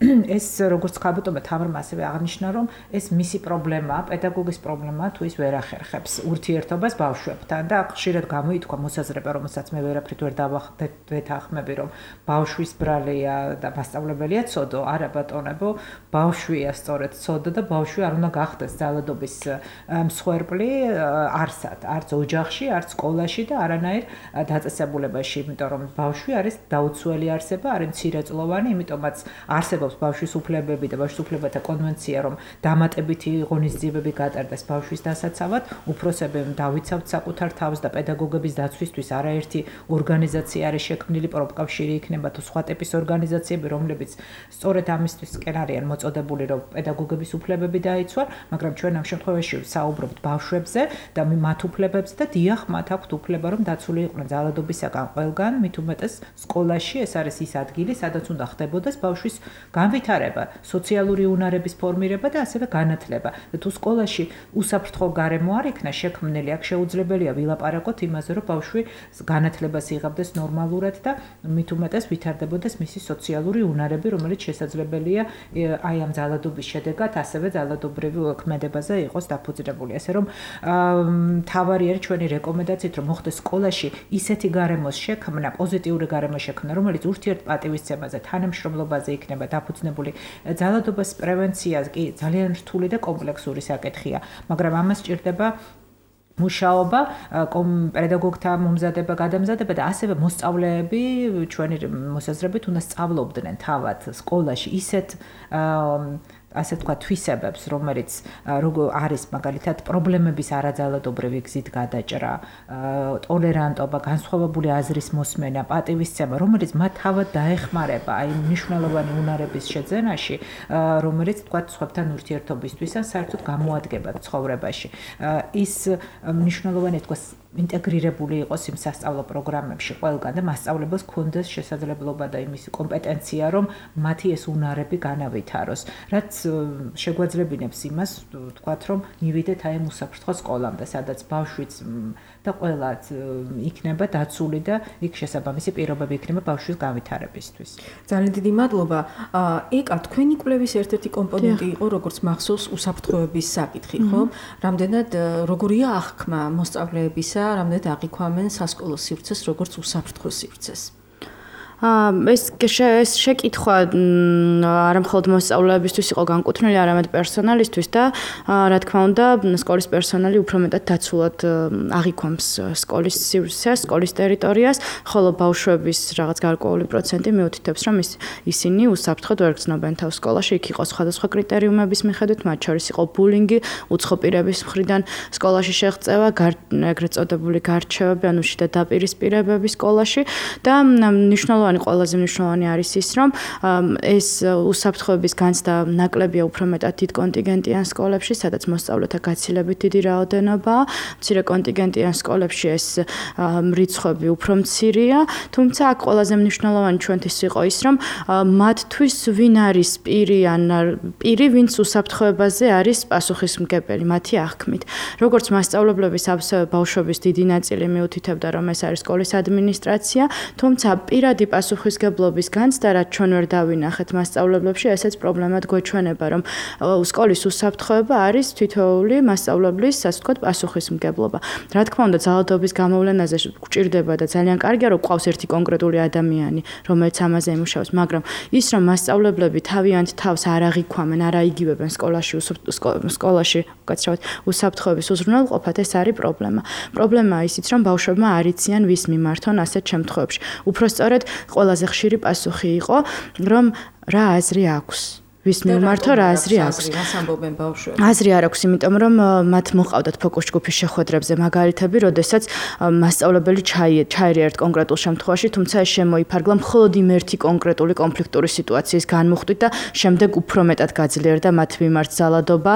ეს როგორც ქალბატონმა თამარმა ასევე აღნიშნა, რომ ეს მისი პრობლემაა, პედაგოგის პრობლემაა, თუ ის ვერ ახერხებს ურთიერთობას ბავშვებთან და ხშირად გამოითქვა მოსაზრება, რომელსაც მე ვერაფრით ვერ დავეთანხმები, რომ ბავშვის ბრალია და მასწავლებელია ცოდო, არა ბატონებო, ბავშვია სწორედ ცოდო და ბავშვი არ უნდა გახდეს ძალადობის მსხვერპლი არსად, არც ოჯახში, არც სკოლაში და არანაირ დაწესებულებაში, იმიტომ რომ ბავშვი არის დაუცველი არსება, არის მცირეწლოვანი, იმიტომაც არსებობს ბავშვის უფლებები და ბავშვის უფლებათა კონვენცია, რომ დამატებითი ღონისძიებები გატარდეს ბავშვის დასაცავად, უფროსები დავიცავთ საკუთარ თავს და პედაგოგების დაცვისთვის არაერთი ორგანიზაცია არის შექმნილი, პროფკავშირი იქნება თუ სხვა ტიპის ორგანიზაციები, რომლებიც სწორედ ამისთვისკენ არიან მოწოდებული, რომ პედაგოგების უფლებები დაიცვან, მაგრამ ჩვენ ამ შემთხვევაში საუბრობთ ბავშვებზე და მათ უფლებებზე და დიახ, მათ აქვთ უფლება, რომ დაცული იყვნენ ძალადობისაგან ყველგან, მით უმეტეს სკოლაში, ეს არის ის ადგილი, სადაც უნდა ხდებოდეს ბავშვის განვითარება, სოციალური უნარების ფორმირება და ასევე განათლება. და თუ სკოლაში უსაფრთხო გარემო არ იქნა შექმნილი, აქ შეუძლებელია ვილაპარაკოთ იმაზე, რომ ბავშვი განათლებას იღებდეს ნორმალურად და მით უმეტეს ვითარდებოდეს მისი სოციალური უნარები, რომელიც შესაძლებელია აი ამ ძალადობის შედეგად ასევე ძალადობრივი ქმედებაზე იყოს დაფუძნებული. ასე რომ მთავარი არის ჩვენი რეკომენდაციით, რომ მოხდეს სკოლაში ისეთი გარემოს შექმნა, პოზიტიური გარემო შექმნა, რომელიც ურთიერთპატივისცემაზე, თანამშრომლობაზე იქნება დაფუძნებული. ძალადობის პრევენცია კი ძალიან რთული და კომპლექსური საკითხია, მაგრამ ამას სჭირდება მუშაობა, პედაგოგთა მომზადება, გადამზადება და ასევე მოსწავლეები ჩვენი მოსაზრებით უნდა სწავლობდნენ თავად სკოლაში ისეთ ასე თქვა თვისებებს, რომელიც როგორ არის მაგალითად პრობლემების არაძალადობრივი გზით გადაჭრა, ტოლერანტობა, განსხვავებული აზრის მოსმენა, პატივისცემა, რომელიც მათ თავად დაეხმარება აი მნიშვნელოვანი უნარების შეძენაში, რომელიც თქვა სხვებთან ურთიერთობისთვის ან საერთოდ გამოადგება ცხოვრებაში. ის მნიშვნელოვანი თქვა ინტეგრირებული იყოს იმ სასწავლო პროგრამებში ყველგან და მასწავლებელს ქონდეს შესაძლებლობა და იმის კომპეტენცია, რომ მათი ეს უნარები განავითაროს, რაც შეგვაძლებინებს იმას, თქვათ, რომ მივიდეთ აი ამ უსაფრთხო სკოლამდე, სადაც ბავშვიც და ყველაც იქნება დაცული და იქ შესაბამისი პირობები იქნება ბავშვის განვითარებისთვის. ძალიან დიდი მადლობა. ეკა, თქვენი კვლევის ერთ-ერთი კომპონენტი იყო, როგორც მახსოვს, უსაფრთხოების საკითხი, ხო? რამდენად როგორია აღქმა მოსწავლეებისა, რამდენად აღიქვამენ სასკოლო სივრცეს, როგორც უსაფრთხო სივრცეს? ეს ეს შეკითხვა არა მხოლოდ მოსწავლეებისთვის იყო განკუთვნილი, არამედ პერსონალისთვის და რა თქმა უნდა, სკოლის პერსონალი უფრო მეტად დაცულად აღიქვამს სკოლის სივრცეს, სკოლის ტერიტორიას, ხოლო ბავშვების რაღაც გარკვეული პროცენტი მიუთითებს, რომ ისინი უსაფრთხოდ ვერ გრძნობენ თავს სკოლაში, იქ იყო სხვადასხვა კრიტერიუმების მიხედვით, მათ შორის იყო ბულინგი, უცხო პირების მხრიდან სკოლაში შეღწევა, ეგრეთ წოდებული გარჩევები, ანუ შიდა დაპირისპირებები სკოლაში და მნიშვნელოვანი ყველაზე მნიშვნელოვანი არის ის, რომ ეს უსაფრთხოების განცდა ნაკლებია უფრო მეტად დიდ კონტინგენტიან სკოლებში, სადაც მოსწავლეთა გაცილებით დიდი რაოდენობაა. მცირე კონტინგენტიან სკოლებში ეს რიცხვები უფრო მცირეა, თუმცა აქ ყველაზე მნიშვნელოვანი ჩვენთვის იყო ის, რომ მათთვის ვინ არის პირი ან პირი, ვინც უსაფრთხოებაზე არის პასუხისმგებელი, მათი აღქმით. როგორც მასწავლებლების ასევე ბავშვების დიდი ნაწილი მიუთითებდა, რომ ეს არის სკოლის ადმინისტრაცია, თუმცა პირადი პასუხისგებლობის განცდა, რაც ჩვენ ვერ დავინახეთ მასწავლებლებში, ესეც პრობლემად გვეჩვენება, რომ სკოლის უსაფრთხოება არის თითოეული მასწავლებლის, ასე ვთქვათ, პასუხისმგებლობა. რა თქმა უნდა, ძალადობის გამოვლენაზე გვჭირდება და ძალიან კარგია, რომ ყავს ერთი კონკრეტული ადამიანი, რომელიც ამაზე იმუშავებს, მაგრამ ის, რომ მასწავლებლები თავიანთ თავს არ აღიქვამენ, არ აიგივებენ სკოლაში, სკოლაში, უკაცრავად, უსაფრთხოების უზრუნველყოფად, ეს არის პრობლემა. პრობლემაა ისიც, რომ ბავშვებმა არ იციან ვის მიმართონ ასეთ შემთხვევებში. უფრო სწორედ ყველაზე ხშირი პასუხი იყო, რომ რა აზრი აქვს. ვის მიმართო რა აზრი აქვს? რას ამბობენ ბავშვები? აზრი არ აქვს, იმიტომ რომ მათ მოყავდათ ფოკუს ჯგუფის შეხვედრებზე მაგალითები, როდესაც მასწავლებელი ჩაირია ერთ კონკრეტულ შემთხვევაში, თუმცა ეს შემოიფარგლა მხოლოდ იმ ერთი კონკრეტული კონფლიქტური სიტუაციის განმუხტვით და შემდეგ უფრო მეტად გაძლიერდა მათ მიმართ ძალადობა,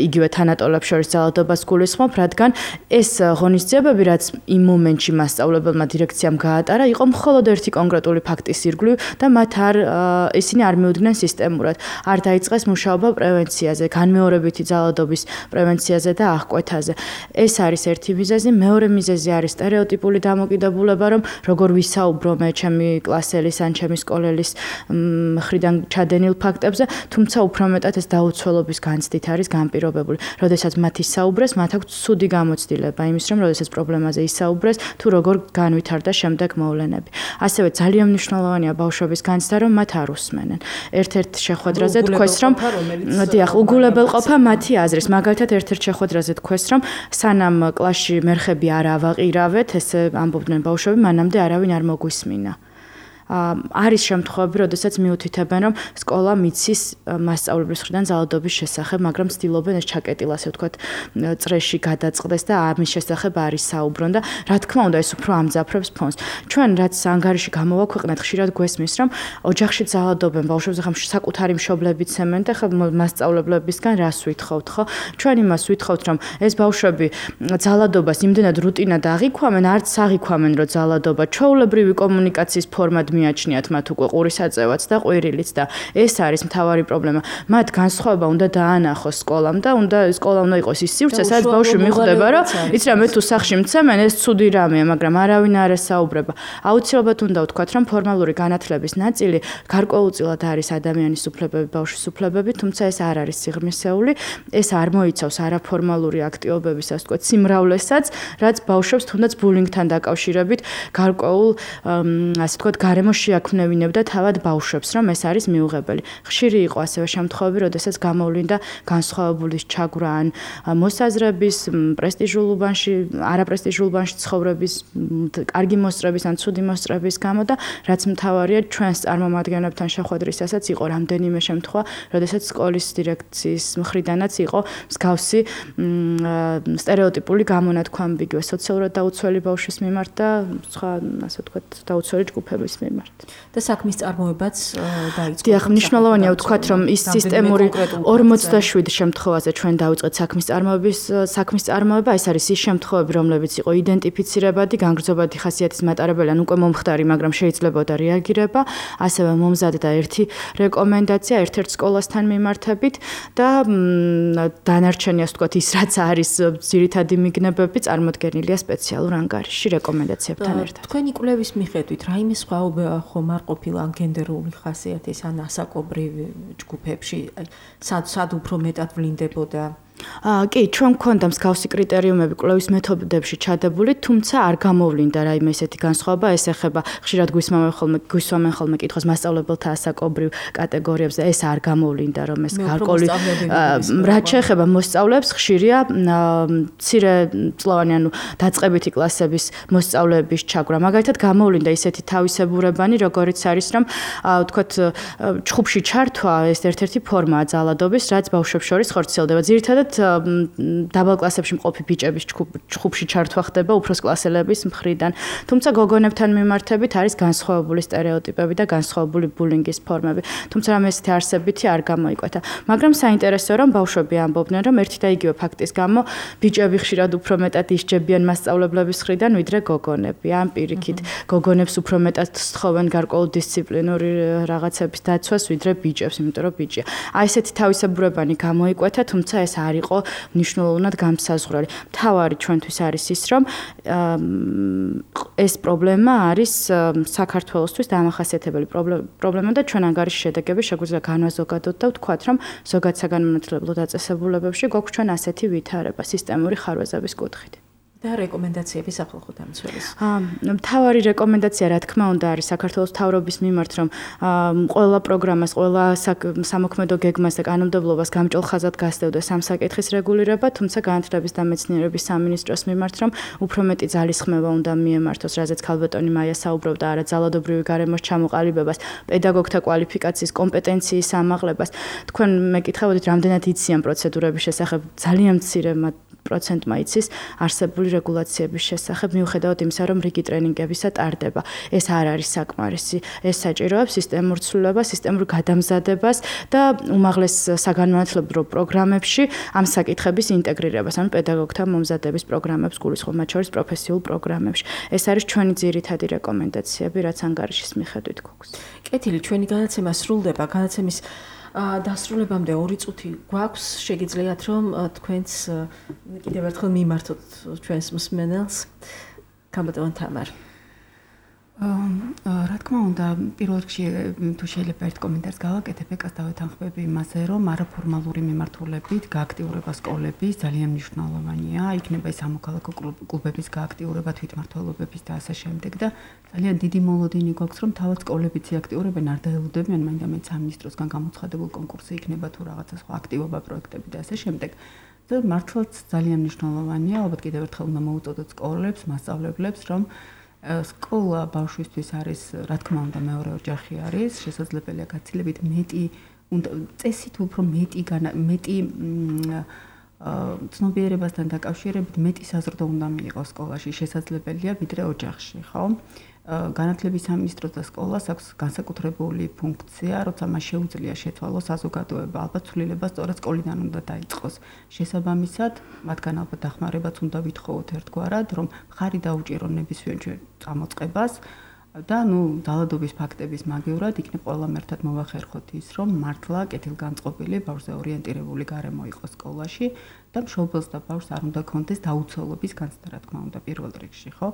იგივე თანატოლებს შორის ძალადობას გულისხმობ, რადგან ეს ღონისძიებები, რაც იმ მომენტში მასწავლებელმა დირექციამ გაატარა, იყო მხოლოდ ერთი კონკრეტული ფაქტის ირგვლივ და მათ არ ისინი არ მიუდგნენ სისტემურად. არ დაიწყეს მუშაობა პრევენციაზე, განმეორებითი ძალადობის პრევენციაზე და აღკვეთაზე. ეს არის ერთი მიზეზი, მეორე მიზეზი არის სტერეოტიპული დამოკიდებულება, რომ როგორ ვისაუბრო მე ჩემი კლასელის ან ჩემი სკოლელის მხრიდან ჩადენილ ფაქტებზე, თუმცა უფრო მეტად ეს დაუცველობის განცდით არის განპირობებული. როდესაც მათ ისაუბრეს, მათ აქვს ცუდი გამოცდილება იმის, რომ როდესაც პრობლემაზე ისაუბრეს, თუ როგორ განვითარდა შემდეგ მოვლენები. ასევე ძალიან მნიშვნელოვანია ბავშვების განცდა, რომ მათ არ უსმენენ. ერთ-ერთ შეხვედრაზე თქვეს, რომ დიახ, უგულებელყოფა მათი აზრის. მაგალითად, ერთ-ერთ შეხვედრაზე თქვეს, რომ სანამ კლასში მერხები არ ავაყირავეთ, ესე ამბობდნენ ბავშვები, მანამდე არავინ არ მოგვისმინა. არის შემთხვევები, როდესაც მიუთითებენ, რომ სკოლა მიცის მასწავლებლის მხრიდან ძალადობის შესახებ, მაგრამ ცდილობენ ეს ჩაკეტილ, ასე ვთქვათ, წრეში გადაწყდეს და ამის შესახებ არ ისაუბრონ და რა თქმა უნდა, ეს უფრო ამძაფრებს ფონს. ჩვენ რაც ანგარიში გამოვაქვეყნეთ, ხშირად გვესმის, რომ ოჯახში ძალადობენ ბავშვებს, ხომ საკუთარი მშობლებიც ცემენ და ხომ მასწავლებლებისგან რას ვითხოვთ, ხო? ჩვენ იმას ვითხოვთ, რომ ეს ბავშვები ძალადობას იმდენად რუტინად აღიქვამენ, არც აღიქვამენ, რომ ძალადობა ჩვეულებრივი კომუნიკაციის ფორმად მიაჩნიათ მათ უკვე ყურის აწევაც და ყვირილიც და ეს არის მთავარი პრობლემა. მათ განსხვავება უნდა დაანახოს სკოლამ და უნდა სკოლა უნდა იყოს ის სივრცე, სადაც ბავშვი მიხვდება, რომ იცი რა მე თუ სახში მცემენ ეს ცუდი რამეა, მაგრამ არავინ არ ესაუბრება. აუცილებლად უნდა ვთქვათ, რომ ფორმალური განათლების ნაწილი გარკვეულწილად არის ადამიანის უფლებები, ბავშვის უფლებები, თუმცა ეს არ არის სიღრმისეული, ეს არ მოიცავს არაფორმალური აქტივობების, ასე ვთქვათ, სიმრავლესაც, რაც ბავშვებს თუნდაც ბულინგთან დაკავშირებით გარკვეულ, ასე ვთქვათ, გარემოს შეაქმნევინებდა თავად ბავშვებს, რომ ეს არის მიუღებელი. ხშირი იყო ასევე შემთხვევები, როდესაც გამოვლინდა განსხვავებული ჩაგვრა ან მოსაზრების, პრესტიჟულ უბანში, არაპრესტიჟულ უბანში ცხოვრების, კარგი მოსწრების ან ცუდი მოსწრების გამო და რაც მთავარია ჩვენს წარმომადგენლებთან შეხვედრისასაც იყო რამდენიმე შემთხვევა, როდესაც სკოლის დირექციის მხრიდანაც იყო მსგავსი სტერეოტიპული გამონათქვამები სოციალურად დაუცველი ბავშვის მიმართ და სხვა, ასე ვთქვათ, დაუცველი ჯგუფების მიმართ. და საქმის წარმოებაც დაიწყო. დიახ, მნიშვნელოვანია ვთქვათ, რომ ის სისტემური ორმოცდაშვიდ შემთხვევაზე ჩვენ დავიწყეთ საქმის წარმოების საქმის წარმოება, ეს არის ის შემთხვევები, რომლებიც იყო იდენტიფიცირებადი, განგრძობადი ხასიათის მატარებელი, ან უკვე მომხდარი, მაგრამ შეიძლებოდა რეაგირება, ასევე მომზადდა ერთი რეკომენდაცია ერთ-ერთ სკოლასთან მიმართებით და დანარჩენი, ასე ვთქვათ, ის რაც არის ძირითადი მიგნებები წარმოდგენილია სპეციალურ ანგარიშში რეკომენდაციებთან ერთად. თქვენი კვლევის მიხედვით, რაიმე სხვაობა ხომ არ ყოფილა ან გენდერული ხასიათის ან ასაკობრივ ჯგუფებში, სად სად უფრო მეტად ვლინდებოდა? აა კი, ჩვენ გვქონდა მსგავსი კრიტერიუმები კვლევის მეთოდებში ჩადებული, თუმცა არ გამოვლინდა რაიმე ესეთი განსხვავება, ეს ეხება ხშირად გვისმამენ ხოლმე გვისმამენ ხოლმე კითხოს მასწავლებელთა ასაკობრივ კატეგორიებზე, ეს არ გამოვლინდა, რომ ეს გარკვეული რაც შეეხება მოსწავლეებს, ხშირია მცირე წლოვანი, ანუ დაწყებითი კლასების მოსწავლეების ჩაგვრა. მაგალითად, გამოვლინდა ისეთი თავისებურებანი, როგორიც არის, რომ ვთქვათ, ჩხუბში ჩართვა ეს ერთ-ერთი ფორმაა ძალადობის, რაც ბავშვებს შორის ხორციელდება. ძირითადად დაბალ კლასებში მყოფი ბიჭების ჩხუბში ჩართვა ხდება უფროს კლასელების მხრიდან. თუმცა გოგონებთან მიმართებით არის განსხვავებული სტერეოტიპები და განსხვავებული ბულინგის ფორმები. თუმცა რამე ესეთი არსებითი არ გამოიკვეთა. მაგრამ საინტერესოა, რომ ბავშვები ამბობდნენ, რომ ერთი და იგივე ფაქტის გამო ბიჭები ხშირად უფრო მეტად ისჯებიან მასწავლებლების მხრიდან, ვიდრე გოგონები. ამ პირიქით, გოგონებს უფრო მეტად სთხოვენ გარკვეულ დისციპლინური რაღაცების დაცვას, ვიდრე ბიჭებს, იმიტომ რომ ბიჭია. აი ესეთი თავისებურებანი გამოიკვეთა, თუმცა ეს არ იყო მნიშვნელოვნად გამსაზღვრელი. მთავარი ჩვენთვის არის ის, რომ ეს პრობლემა არის საქართველოსთვის დამახასიათებელი პრობლემა და ჩვენ ანგარიშის შედეგები შეგვიძლია განვაზოგადოთ და ვთქვათ, რომ ზოგად საგანმანათლებლო დაწესებულებებში გვაქვს ჩვენ ასეთი ვითარება სისტემური ხარვეზების კუთხით. და რეკომენდაციები სახალხო დამცველის. მთავარი რეკომენდაცია, რა თქმა უნდა, არის საქართველოს მთავრობის მიმართ, რომ ყველა პროგრამას, ყველა სამოქმედო გეგმას და კანონმდებლობას გამჭოლ ხაზად გასდევდეს ამ საკითხის რეგულირება, თუმცა განათლების და მეცნიერების სამინისტროს მიმართ, რომ უფრო მეტი ძალისხმევა უნდა მიემართოს, რაზეც ქალბატონი მაია საუბრობდა, არა ძალადობრივი გარემოს ჩამოყალიბებას, პედაგოგთა კვალიფიკაციის, კომპეტენციის ამაღლებას. თქვენ მეკითხებოდით, რამდენად იციან პროცედურების შესახებ, ძალიან მცირე პროცენტმა იცის არსებული რეგულაციების შესახებ, მიუხედავად იმისა, რომ რიგი ტრენინგებისა ტარდება. ეს არ არის საკმარისი. ეს საჭიროებს სისტემურ ცვლილებას, სისტემურ გადამზადებას და უმაღლეს საგანმანათლებლო პროგრამებში ამ საკითხების ინტეგრირებას, ანუ პედაგოგთა მომზადების პროგრამებს გულისხმობ, მათ შორის პროფესიულ პროგრამებში. ეს არის ჩვენი ძირითადი რეკომენდაციები, რაც ანგარიშის მიხედვით გვაქვს. კეთილი, ჩვენი განაცემა სრულდება, განაცემის დასრულებამდე ორი წუთი გვაქვს, შეგიძლიათ რომ თქვენც კიდევ ერთხელ მიმართოთ ჩვენს მსმენელს. ქალბატონ თამარ. რა თქმა უნდა, პირველ რიგში თუ შეიძლება ერთ კომენტარს გავაკეთებ, ეკას დავეთანხმები იმაზე, რომ არაფორმალური მიმართულებით გააქტიურება სკოლების ძალიან მნიშვნელოვანია. იქნება ის სამოქალაქო კლუბების გააქტიურება, თვითმმართველობების და ასე შემდეგ და ძალიან დიდი მოლოდინი გვაქვს, რომ თავად სკოლებიც იაქტიურებენ, არ დაელოდებიან მაინდა-მაინც სამინისტროსგან გამოცხადებულ კონკურსი იქნება თუ რაღაცა სხვა აქტივობა პროექტები და ასე შემდეგ. და მართლაც ძალიან მნიშვნელოვანია, ალბათ კიდევ ერთხელ უნდა მოუწოდოთ სკოლებს, მასწავლებლებს, რომ სკოლა ბავშვისთვის არის, რა თქმა უნდა, მეორე ოჯახი არის, შესაძლებელია გაცილებით მეტი, წესით უფრო მეტი მეტი ცნობიერებასთან დაკავშირებით მეტი საზრდო უნდა მიიღოს სკოლაში, შესაძლებელია ვიდრე ოჯახში, ხო? განათლების სამინისტროს და სკოლას აქვს განსაკუთრებული ფუნქცია, როცა მას შეუძლია შეცვალოს საზოგადოება, ალბათ ცვლილება სწორედ სკოლიდან უნდა დაიწყოს. შესაბამისად, მათგან ალბათ დახმარებაც უნდა ვითხოვოთ ერთგვარად, რომ მხარი დაუჭირონ ნებისმიერ წამოწყებას, და ნუ ძალადობის ფაქტების მაგევრად იქნებ ყველამ ერთად მოვახერხოთ ის, რომ მართლა კეთილგანწყობილი ბავშვზე ორიენტირებული გარემო იყოს სკოლაში და მშობელს და ბავშვს არ უნდა კონდეს დაუცველობის განცდა, რა თქმა უნდა, პირველ რიგში, ხო?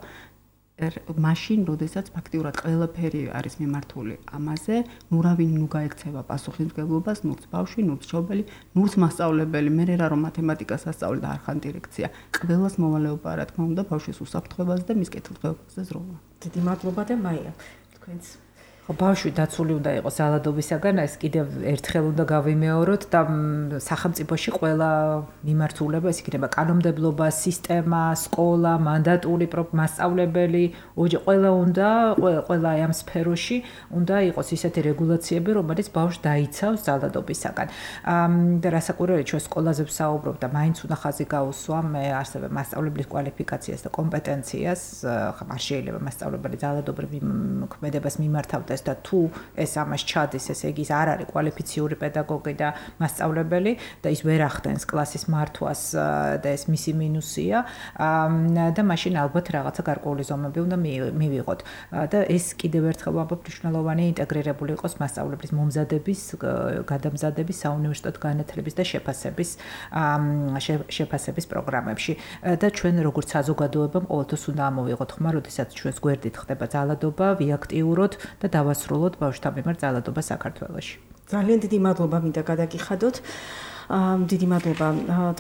მაშინ, როდესაც ფაქტიურად ყველაფერი არის მიმართული ამაზე, ნუ რავინ ნუ გაექცევა პასუხისმგებლობას, ნურც ბავშვი, ნურც მშობელი, ნურც მასწავლებელი, მე რა რომ მათემატიკას ასწავლე და არ ხან დირექცია. ყველას მოვალეობა, რა თქმა უნდა, ბავშვის უსაფრთხოებას და მის კეთილდღეობაზე ზროვა. დიდი მადლობა და მაია, თქვენც ხო ბავშვი დაცული უნდა იყოს ძალადობისაგან, ეს კიდევ ერთხელ უნდა გავიმეოროთ და სახელმწიფოში ყველა მიმართულება, ეს იქნება კანონმდებლობა, სისტემა, სკოლა, მანდატური მასწავლებელი, ოჯახი ყველა უნდა, ყველა ამ სფეროში უნდა იყოს ისეთი რეგულაციები, რომელიც ბავშვს დაიცავს ძალადობისაგან. და რასაკვირველია, ჩვენ სკოლაზე ვსაუბრობ და მაინც უნდა ხაზი გაუსვა მე ასევე მასწავლებლის კვალიფიკაციას და კომპეტენციას, არ შეიძლება მასწავლებელი ძალადობრივ ქმედებას მიმართავდეს და თუ ეს ამას ჩადის, ესე იგი ის არ არის კვალიფიციური პედაგოგი და მასწავლებელი და ის ვერ ახდენს კლასის მართვას და ეს მისი მინუსია და მაშინ ალბათ რაღაცა გარკვეული ზომები უნდა მივიღოთ და ეს კიდევ ერთხელ ვამბობ, მნიშვნელოვანი ინტეგრირებული იყოს მასწავლებლის მომზადების, გადამზადების, საუნივერსიტეტო განათლების და შეფასების შეფასების პროგრამებში და ჩვენ როგორც საზოგადოებამ ყოველთვის უნდა ამოვიღოთ ხმა, როდესაც ჩვენს გვერდით ხდება ძალადობა, ვიაქტიუროთ და დავასრულოთ ბავშვთა მიმართ ძალადობა საქართველოში. ძალიან დიდი მადლობა მინდა გადაგიხადოთ. დიდი მადლობა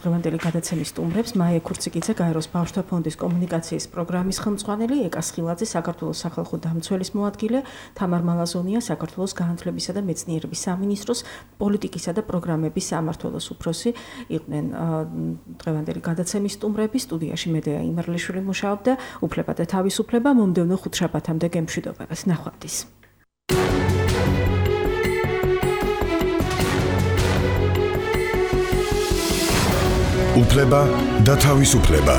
დღევანდელი გადაცემის სტუმრებს, მაია ქურციკიძე, გაეროს ბავშვთა ფონდის კომუნიკაციის პროგრამის ხელმძღვანელი, ეკა სხილაძე, საქართველოს სახალხო დამცველის მოადგილე, თამარ მალაზონია, საქართველოს განათლებისა და მეცნიერების სამინისტროს პოლიტიკისა და პროგრამების სამმართველოს უფროსი იყვნენ დღევანდელი გადაცემის სტუმრები. სტუდიაში მედეა იმერლიშვილი მუშაობდა, უფლება და თავისუფლება მომდევნო ხუთშაბათამდე გემშვიდობებას. ნახვამდის. უფლება და თავისუფლება.